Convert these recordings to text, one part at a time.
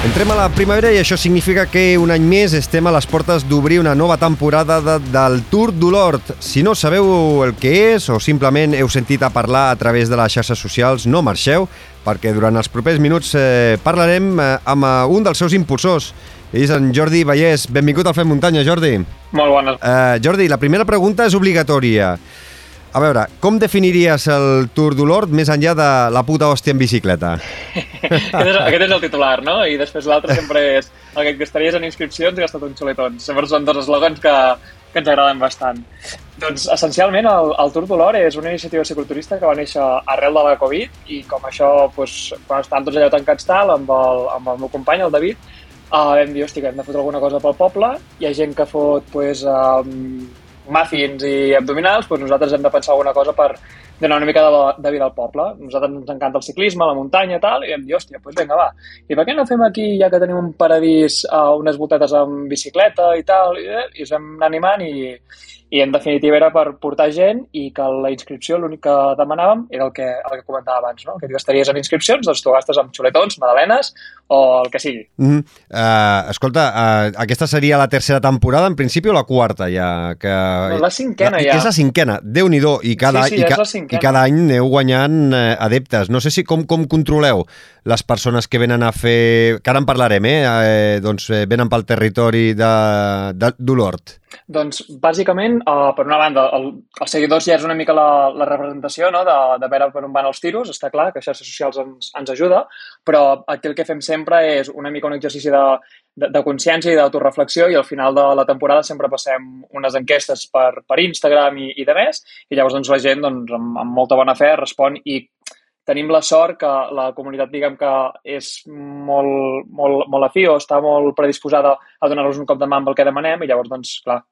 Entrem a la primavera i això significa que un any més estem a les portes d'obrir una nova temporada del Tour d'Olort. Si no sabeu el que és o simplement heu sentit a parlar a través de les xarxes socials, no marxeu, perquè durant els propers minuts parlarem amb un dels seus impulsors. És en Jordi Vallès. Benvingut al Fem Muntanya, Jordi. Molt bones. Jordi, la primera pregunta és obligatòria. A veure, com definiries el Tour d'Olort més enllà de la puta hòstia en bicicleta? Aquest és el titular, no? I després l'altre sempre és el que et gastaries en inscripcions i gastat en xuletons. Sempre són dos eslògans que ens agraden bastant. Doncs, essencialment, el Tour d'Olort és una iniciativa cicloturista que va néixer arrel de la Covid i com això, doncs, quan estàvem tots allà tancats tal, amb el meu company, el David, vam dir, hòstia, hem de fotre alguna cosa pel poble. Hi ha gent que fot, doncs, muffins i abdominals, doncs nosaltres hem de pensar alguna cosa per donar una mica de vida al poble. Nosaltres ens encanta el ciclisme, la muntanya i tal, i vam dir, hòstia, doncs vinga, va. I per què no fem aquí, ja que tenim un paradís, unes voltetes amb bicicleta i tal, i ens vam anar animant i en definitiva era per portar gent i que la inscripció l'únic que demanàvem era el que comentava abans, no? Que et gastaries en inscripcions, doncs tu gastes amb xuletons, magdalenes o el que sigui. Escolta, aquesta seria la tercera temporada, en principi, o la quarta ja? No, la cinquena ja. Que és la cinquena, Déu-n'hi-do, i cada any aneu guanyant adeptes. No sé si com controleu les persones que venen a fer... Que ara en parlarem, doncs venen pel territori d'Olort. Doncs, bàsicament, per una banda, els seguidors ja és una mica la representació, no?, de veure per on van els tiros. Està clar que xarxes socials ens ajuda, però aquí el que fem sempre és una mica un exercici de consciència i d'autoreflexió, i al final de la temporada sempre passem unes enquestes per Instagram i de més, i llavors doncs, la gent doncs, amb molta bona fe respon, i tenim la sort que la comunitat, diguem que és molt afí o està molt predisposada a donar-nos un cop de mà amb el que demanem, i llavors, doncs, clar,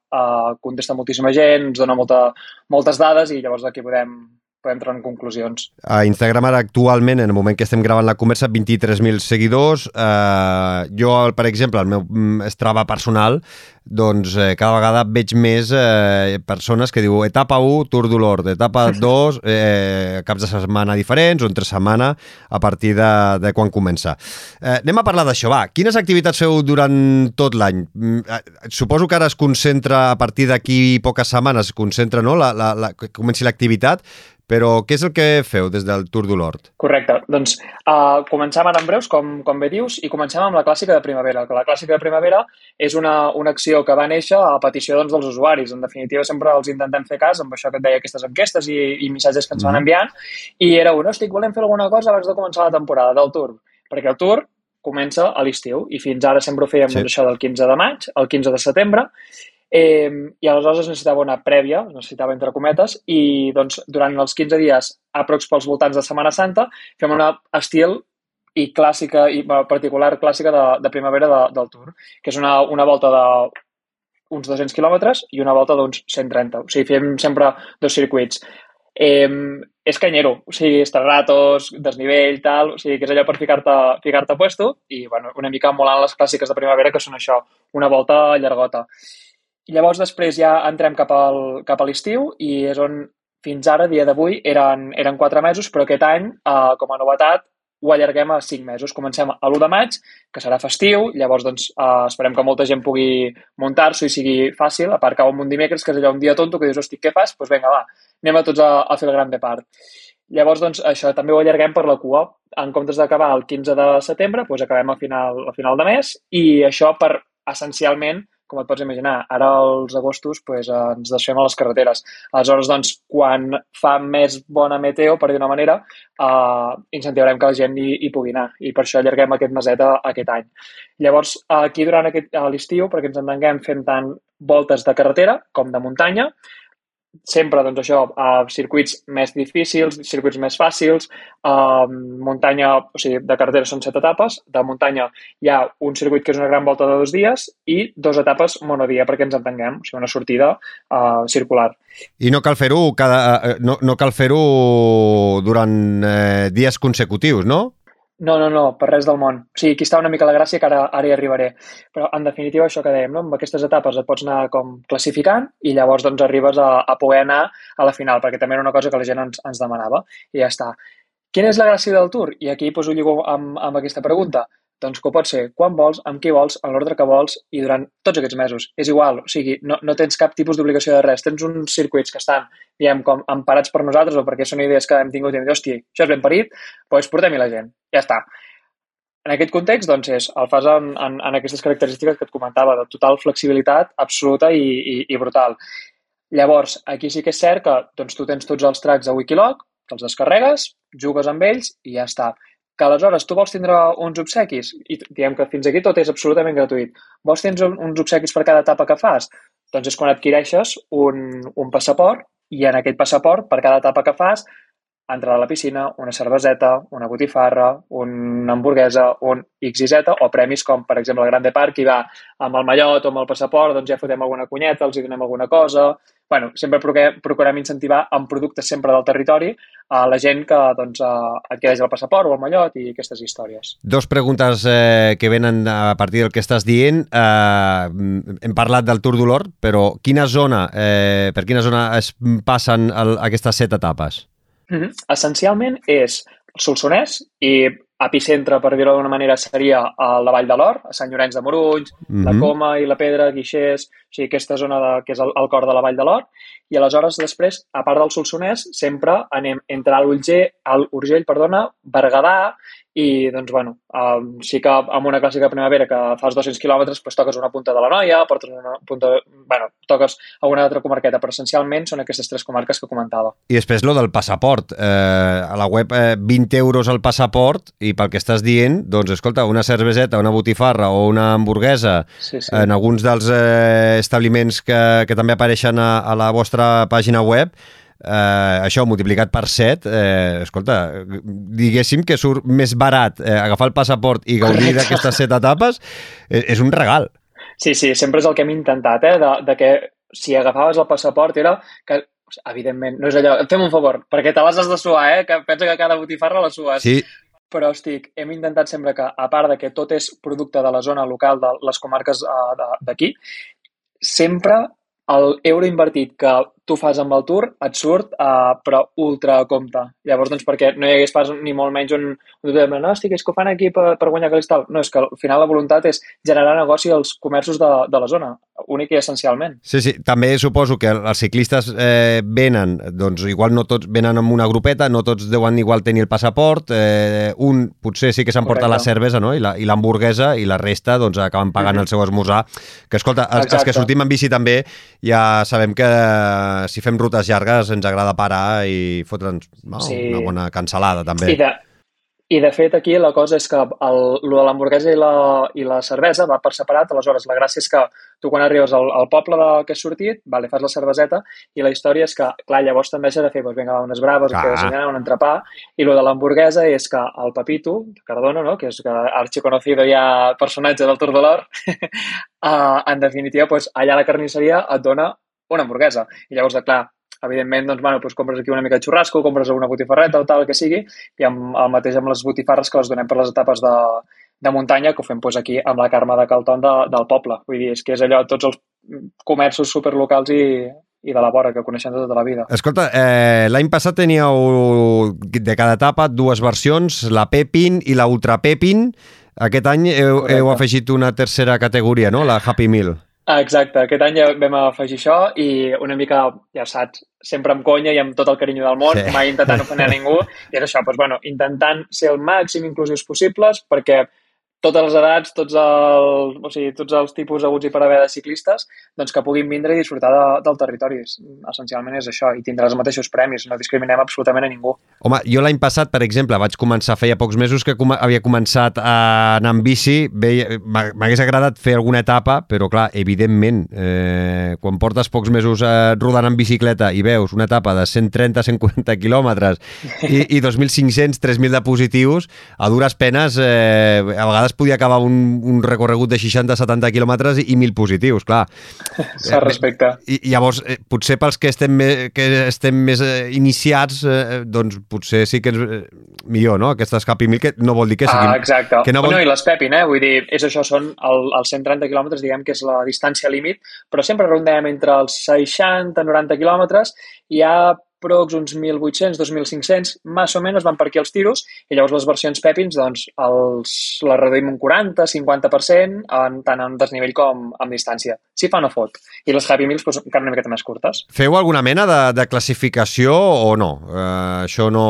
contesta moltíssima gent, ens dona moltes dades, i llavors d'aquí podem entrar en conclusions. A Instagram ara actualment, en el moment que estem gravant la conversa, 23.000 seguidors. Jo, per exemple, el meu Strava personal, doncs cada vegada veig més persones que diu etapa 1, Tour d'Olort, etapa 2, caps de setmana diferents, o entre setmana, a partir de quan comença. Anem a parlar d'això, va. Quines activitats feu durant tot l'any? Suposo que ara es concentra, a partir d'aquí poques setmanes, es concentra, no?, que comenci l'activitat, però què és el que feu des del Tour d'Olort? Correcte. Doncs comencem ara en breus, com bé dius, i comencem amb la clàssica de primavera. La clàssica de primavera és una acció que va néixer a petició dels usuaris. En definitiva, sempre els intentem fer cas amb això que et deia, aquestes enquestes i missatges que ens van enviant, i era volem fer alguna cosa abans de començar la temporada del Tour, perquè el Tour comença a l'estiu, i fins ara sempre ho fèiem això del 15 de maig al 15 de setembre, i aleshores es necessitava una prèvia, es necessitava entre cometes, i doncs durant els 15 dies, aprox pels voltants de Setmana Santa, fem una estil i clàssica, i particular clàssica de primavera del Tour, que és una volta d'uns 200 quilòmetres i una volta d'uns 130. O sigui, fem sempre dos circuits. És canyero, o sigui, estraratos, desnivell, tal, o sigui, que és allò per ficar-te a puesto, i bueno, una mica emulant les clàssiques de primavera, que són això, una volta llargota. I llavors després ja entrem cap a l'estiu, i és on fins ara, dia d'avui, eren 4 mesos, però aquest any, com a novetat, ho allarguem a 5 mesos. Comencem a l'1 de maig, que serà festiu, llavors doncs, esperem que molta gent pugui muntar-s'ho i sigui fàcil, a part cau un dimecres, que és allò un dia tonto, que dius, hosti, què fas? Doncs vinga, va, anem a tots a fer el gran depart. Llavors, doncs, això també ho allarguem per la cua. En comptes d'acabar el 15 de setembre, doncs acabem a final de mes, i això per, essencialment, com et pots imaginar, ara als agostos doncs, ens desfem a les carreteres. Aleshores, doncs, quan fa més bona meteo, per dir una manera, incentivarem que la gent hi pugui anar, i per això allarguem aquest meset aquest any. Llavors, aquí durant l'estiu, perquè ens entenguem, fem tant voltes de carretera com de muntanya, sempre, doncs això, circuits més difícils, circuits més fàcils, muntanya, o sigui, de carretera són 7 etapes, de muntanya hi ha un circuit que és una gran volta de 2 dies i 2 etapes monodia, perquè ens entenguem, o sigui, una sortida circular. I no cal fer-ho no cal fer-ho durant dies consecutius, no? No, per res del món. O sigui, aquí està una mica la gràcia, que ara hi arribaré. Però, en definitiva, això que dèiem, no? Amb aquestes etapes et pots anar com classificant, i llavors doncs arribes a poder anar a la final, perquè també era una cosa que la gent ens demanava, i ja està. Quina és la gràcia del Tour? I aquí ho lligo amb aquesta pregunta. Doncs que ho pots fer quan vols, amb qui vols, a l'ordre que vols i durant tots aquests mesos. És igual, o sigui, no tens cap tipus d'obligació de res. Tens uns circuits que estan, diguem, com emparats per nosaltres o perquè són idees que hem tingut i hem dit, hòstia, això és ben parit, doncs portem-hi la gent. Ja està. En aquest context, doncs, el fas en aquestes característiques que et comentava, de total flexibilitat absoluta i brutal. Llavors, aquí sí que és cert que doncs, tu tens tots els tracks a Wikiloc, te'ls descarregues, jugues amb ells i ja està. Que aleshores tu vols tindre uns obsequis, i diguem que fins aquí tot és absolutament gratuït, vols tindre uns obsequis per cada etapa que fas? Doncs és quan adquireixes un passaport i en aquest passaport, per cada etapa que fas, entrada a la piscina, una cerveseta, una botifarra, una hamburguesa, un XYZ, o premis com, per exemple, el Grande Park, qui va amb el mallot o amb el passaport, doncs ja fotem alguna cunyeta, els hi donem alguna cosa. Bueno, sempre procurem incentivar amb productes sempre del territori a la gent que doncs, adquireix el passaport o el mallot i aquestes històries. Dos preguntes que venen a partir del que estàs dient. Hem parlat del Tour d'Olor, però per quina zona es passen aquestes 7 etapes? Essencialment és el Solsonès i epicentre, per dir-ho d'alguna manera, seria a la Vall de l'Or, a Sant Llorenç de Morunys, la Coma i la Pedra, Guixers, o sigui, aquesta zona que és el cor de la Vall de l'Or. I aleshores, després, a part del Solsonès, sempre anem entre l'Urgell, Berguedà, i, doncs, bueno, sí que amb una clàssica primavera que fas 200 quilòmetres, doncs toques una punta de la Noia, portes una punta, bueno, toques a una altra comarqueta, però essencialment són aquestes 3 comarques que comentava. I després lo del passaport. A la web 20 euros el passaport i pel que estàs dient, doncs, escolta, una cerveseta, una botifarra o una hamburguesa en alguns dels establiments que també apareixen a la vostra pàgina web, això multiplicat per 7, escolta, diguéssim que surt més barat agafar el passaport i gaudir d'aquestes 7 etapes, és un regal. Sí, sempre és el que hem intentat, de que si agafaves el passaport era que, evidentment, no és allò, fem un favor, perquè te les has de suar, que pensa que cada botifarra la sues. Sí. Però, hem intentat sempre que, a part de que tot és producte de la zona local, de les comarques d'aquí, sempre l'euro invertit que tu fas amb el Tour et surt, però ultra a compte. Llavors, doncs, perquè no hi hagués pas ni molt menys no, estic, és que ho fan aquí per guanyar calés tal. No, és que al final la voluntat és generar negoci als comerços de la zona, únic i essencialment. Sí, també suposo que els ciclistes venen, doncs igual no tots venen amb una grupeta, no tots deuen igual tenir el passaport, un potser sí que s'emporta la cervesa, no? I l'hamburguesa, i la resta doncs acaben pagant el seu esmorzar. Que escolta, els que sortim en bici també ja sabem que si fem rutes llargues ens agrada parar i fotre'ns una bona cansalada també. I de fet aquí la cosa és que lo de l'hamburguesa i la cervesa va per separat, aleshores la gràcia és que tu quan arribes al poble que has sortit, fas la cerveseta i la història és que, clar, llavors tendeixes a fer vinga, unes braves, un entrepà, i lo de l'hamburguesa és que el Pepito, Cardona, no? Que és archiconocido ja personatge del Tour de l'Or, en definitiva, allà a la carnisseria et dona una hamburguesa. I llavors, clar, evidentment, doncs, compres aquí una mica de xurrasco, compres una botifarreta o tal, que sigui, i el mateix amb les botifarres que les donem per les etapes de muntanya, que ho fem aquí amb la Carme de Calton del poble. Vull dir, és que és allò, tots els comerços superlocals i de la vora, que coneixem de tota la vida. Escolta, l'any passat teníeu de cada etapa 2 versions, la Pepin i la Ultra Pepin. Aquest any heu afegit una tercera categoria, no? La Happy Meal. Exacte, aquest any ja vam afegir això i una mica, ja saps, sempre amb conya i amb tot el carinyo del món, mai intentant ofendre a ningú, i és això, intentant ser el màxim inclusius possibles perquè totes les edats, tots els tipus haguts i per haver de ciclistes, doncs que puguin vindre i disfrutar del territori. Essencialment és això, i tindrà els mateixos premis, no discriminem absolutament a ningú. Home, jo l'any passat, per exemple, vaig començar, feia pocs mesos que havia començat a anar en bici, m'hagués agradat fer alguna etapa, però clar, evidentment, quan portes pocs mesos rodant en bicicleta i veus una etapa de 130-140 quilòmetres i 2.500, 3.000 de positius, a dures penes, a vegades podia acabar un recorregut de 60-70 quilòmetres i 1.000 positius, clar. S'ha respecte. I llavors, potser pels que estem més iniciats, doncs potser sí que és millor, no? Aquestes Happy Meal, que no vol dir que siguin... Exacte. I les Pepin, vull dir, és això, són els 130 quilòmetres, diguem que és la distància límit, però sempre rondem entre els 60-90 quilòmetres i hi ha procs uns 1.800, 2.500, més o menys van per aquí els tiros, i llavors les versions Pepins, doncs, les reduïm un 40-50%, tant en desnivell com en distància. Si fa no fot. I les Happy Meals doncs, encara una miqueta més curtes. Feu alguna mena de classificació o no? Això no...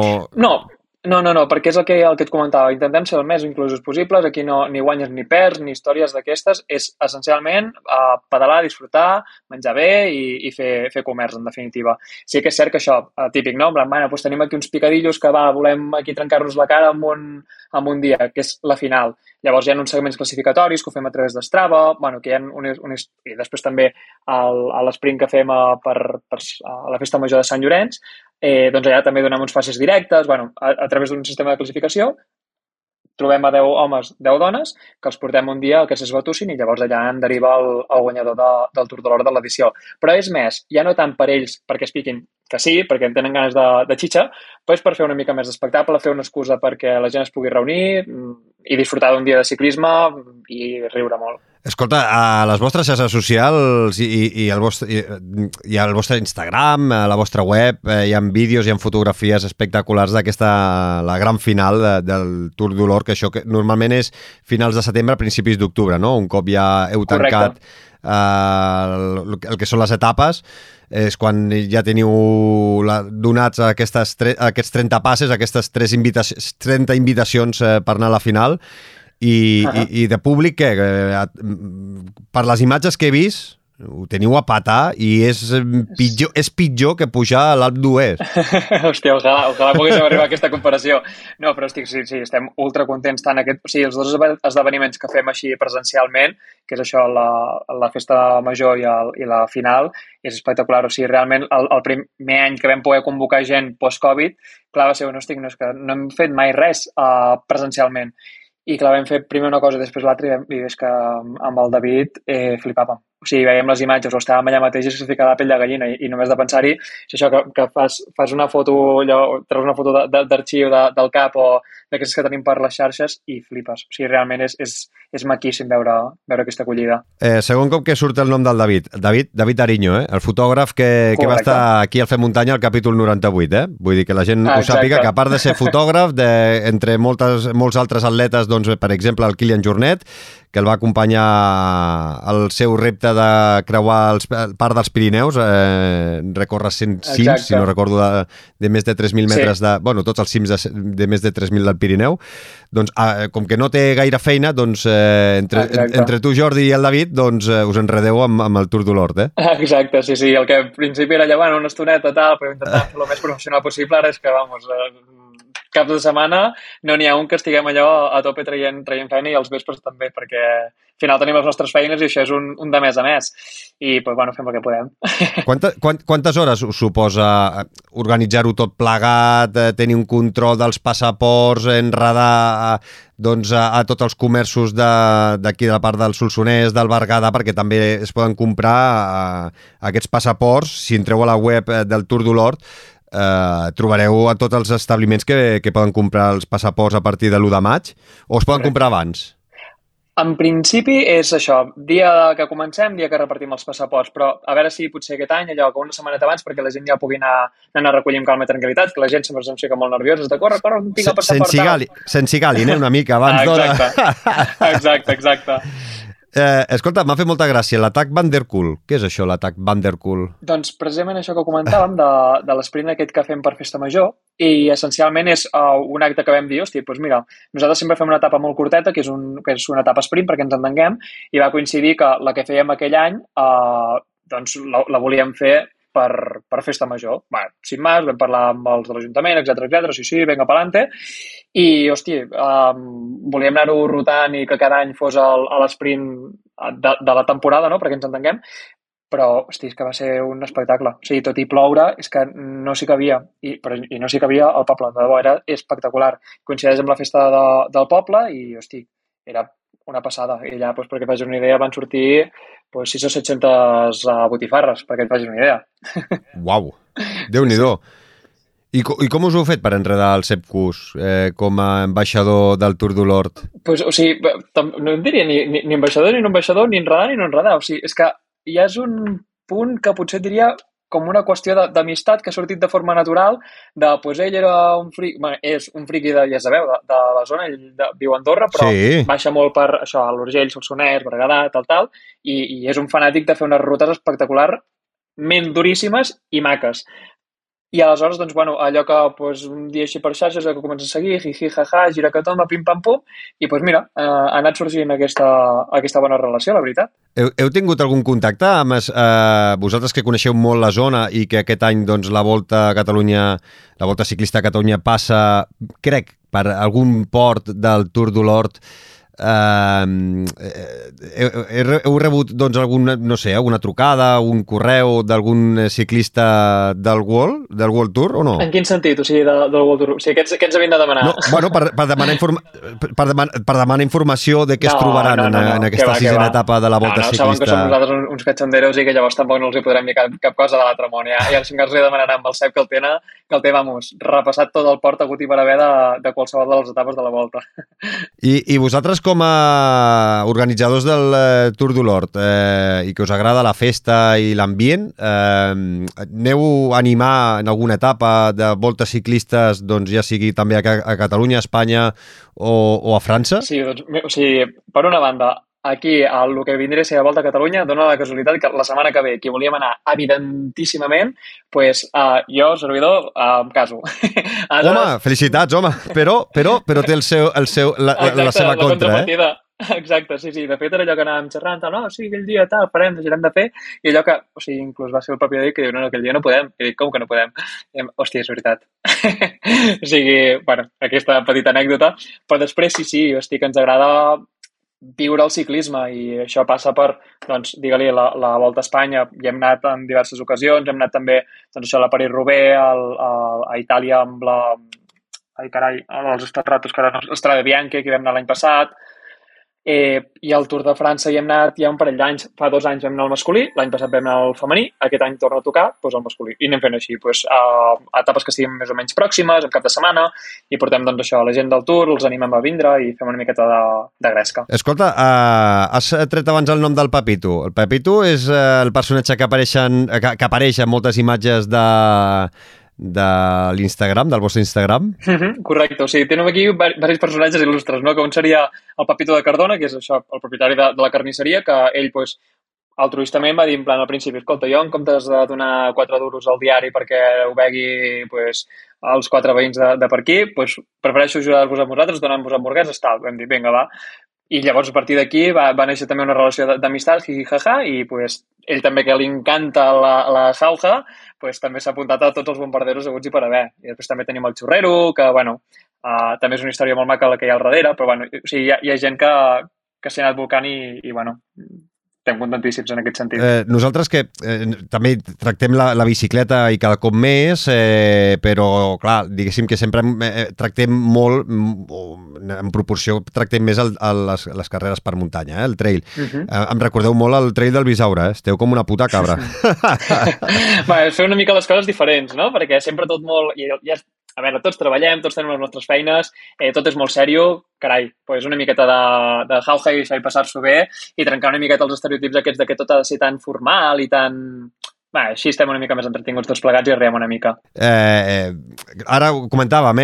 No, perquè és el que et comentava. Intentem ser el més inclusos possibles. Aquí no ni guanyes ni perds, ni històries d'aquestes. És essencialment pedalar, disfrutar, menjar bé i fer comerç, en definitiva. Sí que és cert que això, típic, no? Doncs tenim aquí uns picadillos que volem aquí trencar-nos la cara en un dia, que és la final. Llavors hi ha uns segments classificatoris que ho fem a través d'Strava, que hi ha i després també a l'esprint que fem a la Festa Major de Sant Llorenç, doncs allà també donem uns passes directes, a través d'un sistema de classificació, trobem a 10 homes, 10 dones, que els portem un dia que s'esbatussin i llavors allà en deriva el guanyador del Tour de l'Or de l'edició. Però és més, ja no tant per ells perquè es piquin, que sí, perquè en tenen ganes de xitxa, però és per fer una mica més d'espectacle, fer una excusa perquè la gent es pugui reunir i disfrutar d'un dia de ciclisme i riure molt. Escolta, a les vostres xarxes socials i al vostre Instagram, a la vostra web, hi ha vídeos, hi ha fotografies espectaculars la gran final del Tour de l'Or, que això que normalment és finals de setembre, principis d'octubre, no? Un cop ja heu tancat el que són les etapes, és quan ja teniu donats aquests 30 passes, aquestes 30 invitacions per anar a la final. I de públic, per les imatges que he vist, ho teniu a patar i és pitjor que pujar a l'Alp d'Huez. Hòstia, ojalà poguéssim arribar a aquesta comparació. No, però sí, estem ultra contents tant els dos esdeveniments que fem així presencialment, que és això, la Festa Major i la final, és espectacular. O sigui, realment, el primer any que vam poder convocar gent post-Covid, clar, va ser no és que no hem fet mai res presencialment. I clar, vam fer primer una cosa i després l'altra i és que amb el David flipàvem. O sigui, veiem les imatges o estàvem allà mateix i es fica la pell de gallina i només de pensar-hi, és això que fas una foto, treus una foto d'arxiu del cap o d'aquestes que tenim per les xarxes i flipes. O sigui, realment és maquíssim veure aquesta acollida. Segon cop que surt el nom del David Ariño, el fotògraf que va estar aquí al Fem Muntanya al capítol 98, Vull dir que la gent ho sàpiga, que a part de ser fotògraf, entre molts altres atletes, doncs, per exemple, el Kilian Jornet, que el va acompanyar al seu repte de creuar part dels Pirineus, recórrer 100 cims, si no recordo, de més de 3.000 metres, tots els cims de més de 3.000 del Pirineu. Doncs, com que no té gaire feina, doncs, entre tu, Jordi, i el David, doncs, us enredeu amb el Tour de l'Hort, Exacte, sí. El que al principi era llevant una estoneta, però intentant fer el més professional possible, ara és que, caps de setmana no n'hi ha un que estiguem allò a tope traient feina i els vespres també, perquè al final tenim les nostres feines i això és un de mes a mes. I, fem el que podem. Quantes hores us suposa organitzar-ho tot plegat, tenir un control dels passaports, enredar a tots els comerços d'aquí de la part del Solsonès, del Berguedà, perquè també es poden comprar aquests passaports. Si entreu a la web del Tour de l'Hort, trobareu a tots els establiments que poden comprar els passaports a partir de l'1 de maig, o es poden comprar abans? En principi és això, dia que comencem, dia que repartim els passaports, però a veure si potser aquest any, allò que una setmaneta abans, perquè la gent ja pugui anar a recollir amb calma i tranquil·litat, que la gent sempre se'm fica molt nerviosa, de corre, tinc el passaport. Sense gali, una mica, abans d'hora. Exacte. Escolta, m'ha fet molta gràcia, l'atac Van der Poel. Què és això, l'atac Van der Poel? Doncs precisament això que comentàvem de l'esprint aquest que fem per Festa Major, i essencialment és un acte que vam dir, doncs mira, nosaltres sempre fem una etapa molt curteta, que és una etapa sprint perquè ens entenguem, i va coincidir que la que fèiem aquell any doncs la volíem fer per Festa Major. Sin més, vam parlar amb els de l'Ajuntament, etcètera, sí, venga pa'lante. I, volíem anar-ho rotant i que cada any fos a l'esprint de la temporada, no?, perquè ens entenguem, però, és que va ser un espectacle. O sigui, tot i ploure, és que no s'hi cabia, i no s'hi cabia al poble, de debò, era espectacular. Coincideix amb la festa del poble i, era una passada. I allà, perquè et facis una idea, van sortir 6 o 700 botifarres, perquè et facis una idea. Uau, Déu-n'hi-do. I com us ho heu fet per enredar el Sepp Kuss com a ambaixador del Tour de l'Hort? No em diria ni ambaixador, ni no ambaixador, ni enredar, ni no enredar. O sigui, és que ja és un punt que potser diria com una qüestió d'amistat que ha sortit de forma natural, pues ell era un friqui, bueno, és un friqui ja sabeu, de la zona, ell viu a Andorra, però baixa molt per això, a l'Urgell, Solsonès, Berguedà, tal, i és un fanàtic de fer unes rutes espectacularment duríssimes i maques. I aleshores, doncs, bueno, allò que un dia així per xarxes que comença a seguir, jiji, jaja, gira que tomba, pim-pam-pum, i mira, ha anat sorgint aquesta bona relació, la veritat. Heu tingut algun contacte amb vosaltres que coneixeu molt la zona i que aquest any doncs, la Volta Ciclista a Catalunya passa, crec, per algun port del Tour de l'Hort? Heu rebut doncs alguna trucada, un correu d'algun ciclista del World Tour o no? En quin sentit? O sigui, del World Tour? O sigui, què ens havien de demanar? No, bueno, per demanar informació de què es trobaran en aquesta sisena etapa de la Volta Ciclista. Saben que som nosaltres uns cachonderos i que llavors tampoc no els hi podrem dir cap cosa de l'altre món. Ja els els demanaran amb el Cep que el té, repassat tot el port hagut i per haver de qualsevol de les etapes de la Volta. I vosaltres com a organitzadors del Tour de l'Hort i que us agrada la festa i l'ambient, aneu a animar en alguna etapa de voltes ciclistes, doncs ja sigui també a Catalunya, a Espanya o a França? Sí, doncs, o sigui, per una banda, aquí, el que vindria a ser la Volta a Catalunya, dona la casualitat que la setmana que ve, qui volíem anar evidentíssimament, jo, servidor, em caso. Home, felicitats, home, però té la seva contra, Exacte, sí. De fet, era allò que anàvem xerrant, no, sí, aquell dia tal, farem, deixarem de fer, i allò que, o sigui, inclús va ser el propi dia que diu, no, aquell dia no podem. I dic, com que no podem? I, hòstia, és veritat. O sigui, bueno, aquesta petita anècdota, però després sí, hosti, que ens agrada viure el ciclisme i això passa per, doncs, digue-li, la Volta a Espanya. Hi hem anat en diverses ocasions, hem anat també, doncs això, a la París-Roubaix, a Itàlia amb la... Ai, carai, els Stratos, que ara no... Strade Bianche, que hi vam anar l'any passat, i al Tour de França hi hem anat ja un parell d'anys. Fa 2 anys vam anar al masculí, l'any passat vam anar al femení, aquest any torna a tocar el masculí. I anem fent així, etapes que siguin més o menys pròximes, en cap de setmana, i portem doncs això a la gent del Tour, els animem a vindre i fem una miqueta de gresca. Escolta, has tret abans el nom del Pepito. El Pepito és el personatge que apareix en moltes imatges de l'Instagram, del vostre Instagram? Correcte, o sigui, tenim aquí diversos personatges il·lustres, no? Que un seria el Pepito de Cardona, que és això, el propietari de la carnisseria, que ell, altruistament va dir en plan al principi, escolta, jo en comptes de donar 4 duros al diari perquè ho vegui els 4 veïns de per aquí, prefereixo ajudar-vos a vosaltres donant-vos hamburgueses, tal. Vam dir, vinga, va. I llavors, a partir d'aquí, va néixer també una relació d'amistat, jaja, i ell també, que li encanta la jauja, també s'ha apuntat a tots els bombarderos haguts i per haver. I després també tenim el xurrero, que, també és una història molt maca la que hi ha al darrere, però, o sigui, hi ha gent que s'ha anat volcant i estem contentíssims en aquest sentit. Nosaltres que també tractem la bicicleta i cada cop més, però, clar, diguéssim que sempre tractem molt, en proporció, tractem més les carreres per muntanya, el trail. Em recordeu molt el trail del Bisaure, esteu com una puta cabra. Fer una mica les coses diferents, no? Perquè sempre tot molt... A veure, tots treballem, tots tenim les nostres feines, tot és molt sèrio, carai, una miqueta de jauja i això i passar-s'ho bé i trencar una miqueta els estereotips aquests de que tot ha de ser tan formal i tan... Així estem una mica més entretinguts tots plegats i riem una mica. Ara ho comentàvem,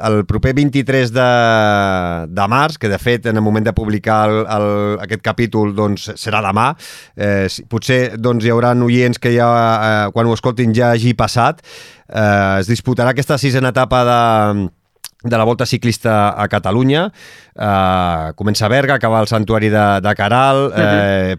el proper 23 de març, que de fet en el moment de publicar aquest capítol doncs, serà demà, potser doncs, hi haurà oients que ja, quan ho escoltin ja hagi passat, es disputarà aquesta 6a etapa de la Volta Ciclista a Catalunya. Comença a Berga, acaba al Santuari de Caral,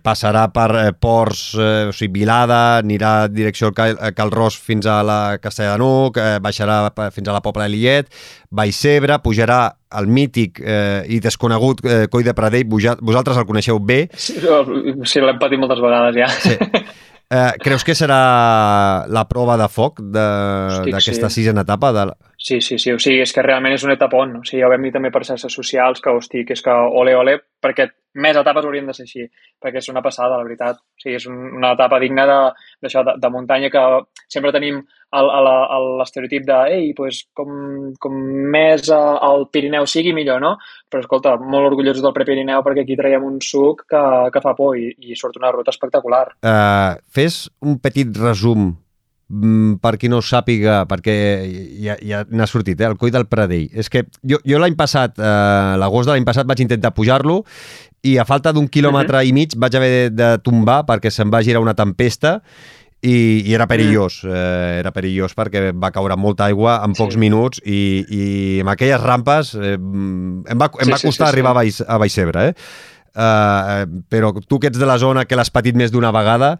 passarà per Ports, o sigui, Vilada, anirà direcció al Cal Ros fins a la Castella de Nuc, baixarà fins a la Pobla de Lillet, Vallcebre, pujarà al mític i desconegut Coll de Pradell. Vosaltres el coneixeu bé. Sí, l'hem patit moltes vegades ja. Sí. Creus que serà la prova de foc d'aquesta 6a etapa? Sí. O sigui, és que realment és un etapon. O sigui, ja ho vam dir també per xarxes socials, que és que ole, perquè més etapes haurien de ser així, perquè és una passada, la veritat. O sigui, és una etapa digna de muntanya, que sempre tenim l'estereotip com més el Pirineu sigui, millor, no? Però, escolta, molt orgullosos del Prepirineu perquè aquí traiem un suc que fa por i surt una ruta espectacular. Fes un petit resum per qui no ho sàpiga, perquè ja n'ha sortit, el Coll del Pradell. És que jo l'any passat, l'agost de l'any passat, vaig intentar pujar-lo i a falta d'1 quilòmetre i mig vaig haver de tombar perquè se'm va girar una tempesta i era perillós. Era perillós perquè va caure molta aigua en pocs minuts i amb aquelles rampes em va costar arribar a Vallcebre, però tu que ets de la zona, que l'has patit més d'una vegada,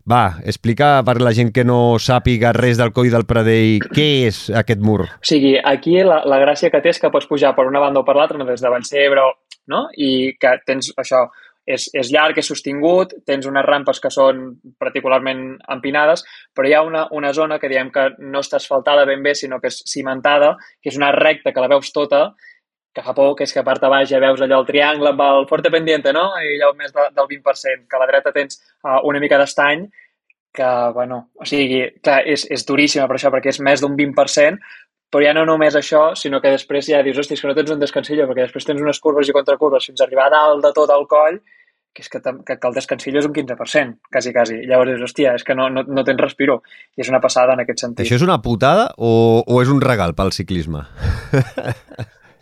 va, explica per la gent que no sàpiga res del Coll del Pradell què és aquest mur. O sigui, aquí la gràcia que té és que pots pujar per una banda o per l'altra, des de Vallcebre, no? I que tens això, és llarg, és sostingut, tens unes rampes que són particularment empinades, però hi ha una zona que diem que no està asfaltada ben bé, sinó que és cimentada, que és una recta que la veus tota, que fa por, que és que a part de baix ja veus allò el triangle amb el Forte Pendiente, no? I allò més del 20%, que a la dreta tens una mica d'estany, que, bueno, o sigui, clar, és duríssima per això, perquè és més d'un 20%, però ja no només això, sinó que després ja dius, hòstia, és que no tens un descansillo, perquè després tens unes curves i contracurves fins a arribar a dalt de tot el coll, que és que el descansillo és un 15%, quasi. Llavors dius, hòstia, és que no tens respiro. I és una passada en aquest sentit. Això és una putada o és un regal pel ciclisme?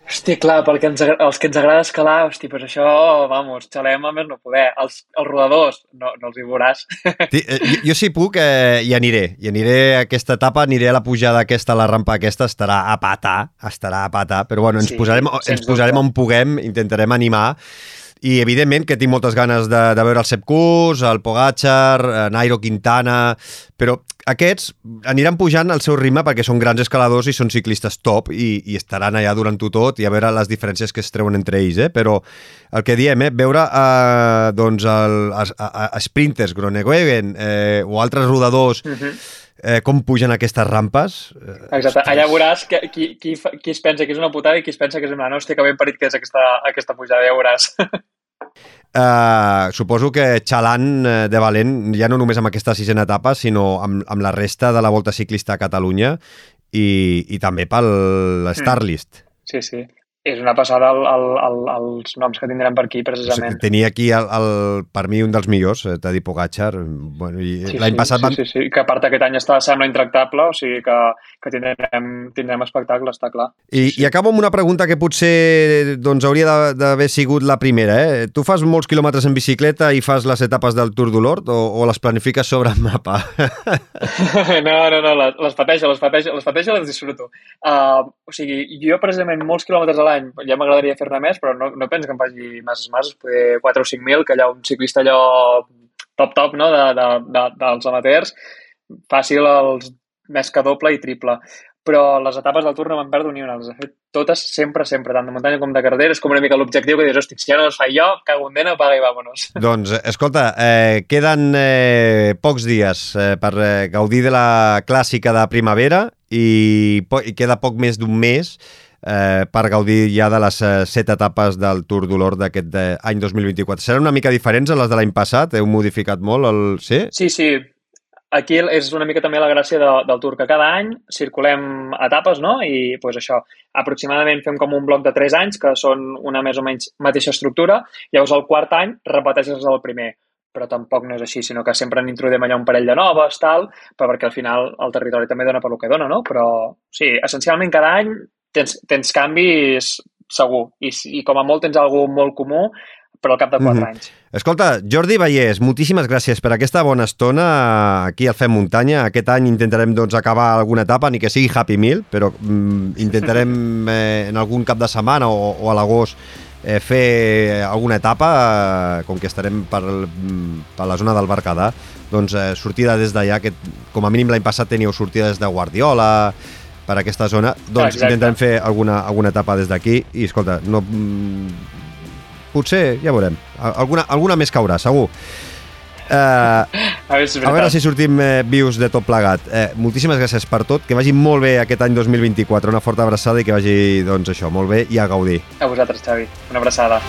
Hòstia, clar, perquè els que ens agrada escalar, hòstia, pues això, vamos, xalem a més no poder. Els rodadors, no els hi veuràs. Jo si puc hi aniré a aquesta etapa, aniré a la pujada aquesta, a la rampa aquesta, estarà a patar, però bueno, ens posarem on puguem, intentarem animar. I evidentment que tinc moltes ganes de veure el Sepp Kuss, el Pogačar, Nairo Quintana, però aquests aniran pujant al seu ritme perquè són grans escaladors i són ciclistes top i estaran allà durant-ho tot i a veure les diferències que es treuen entre ells, però el que diem, veure doncs sprinters, Groenewegen o altres rodadors com pugen aquestes rampes. Exacte, allà veuràs qui es pensa que és una putada i qui es pensa que és una hòstia, que ben parit que és aquesta pujada, ja veuràs. Suposo que xalant de valent, ja no només amb aquesta sisena etapa, sinó amb la resta de la Volta Ciclista a Catalunya i també pel Starlist. Sí. És una passada els noms que tindrem per aquí, precisament. Tenia aquí, per mi, un dels millors, Tadej Pogačar. Bueno, l'any passat... Sí, que a part aquest any sembla intractable, o sigui que tindrem espectacle, està clar. I acabo amb una pregunta que potser hauria d'haver sigut la primera. Tu fas molts quilòmetres en bicicleta i fas les etapes del Tour du Nord o les planifiques sobre el mapa? No, les pateixo, les disfruto. O sigui, jo precisament molts quilòmetres a l'any ja m'agradaria fer-ne més, però no penso que em faci masses, poder 4 o 5.000, que allà un ciclista allò top, no?, dels amateurs, fàcil els més que doble i triple. Però les etapes del Tour no me'n perdo ni una, les he fet totes sempre, tant de muntanya com de carretera, és com una mica l'objectiu que dius, hosti, si ja no les faig jo, cago en dena, apaga i vámonos. Doncs, escolta, queden pocs dies per gaudir de la clàssica de primavera i queda poc més d'un mes per gaudir ja de les 7 etapes del Tour du Nord d'aquest any 2024. Seran una mica diferents a les de l'any passat? Heu modificat molt? Sí? Sí. Aquí és una mica també la gràcia del Tour, que cada any circulem etapes, no? I doncs això, aproximadament fem com un bloc de 3 anys, que són una més o menys mateixa estructura, llavors el quart any repeteixes el primer. Però tampoc no és així, sinó que sempre n'introduïm allà un parell de noves, però perquè al final el territori també dona per lo que dona, no? Però sí, essencialment cada any tens canvis segur, i com a molt tens algú molt comú, però al cap de 4 anys. Escolta, Jordi Vallès, moltíssimes gràcies per aquesta bona estona aquí al Fem Muntanya. Aquest any intentarem acabar alguna etapa, ni que sigui Happy Meal, però intentarem en algun cap de setmana o a l'agost fer alguna etapa, com que estarem per la zona del Berguedà, doncs sortida des d'allà, que com a mínim l'any passat teníeu sortida des de Guardiola, per aquesta zona, doncs intentarem fer alguna etapa des d'aquí i, escolta, potser, ja veurem, alguna més caurà, segur. A veure si sortim vius de tot plegat. Moltíssimes gràcies per tot, que vagi molt bé aquest any 2024, una forta abraçada i que vagi, doncs això, molt bé i a gaudir. A vosaltres, Xavi, una abraçada.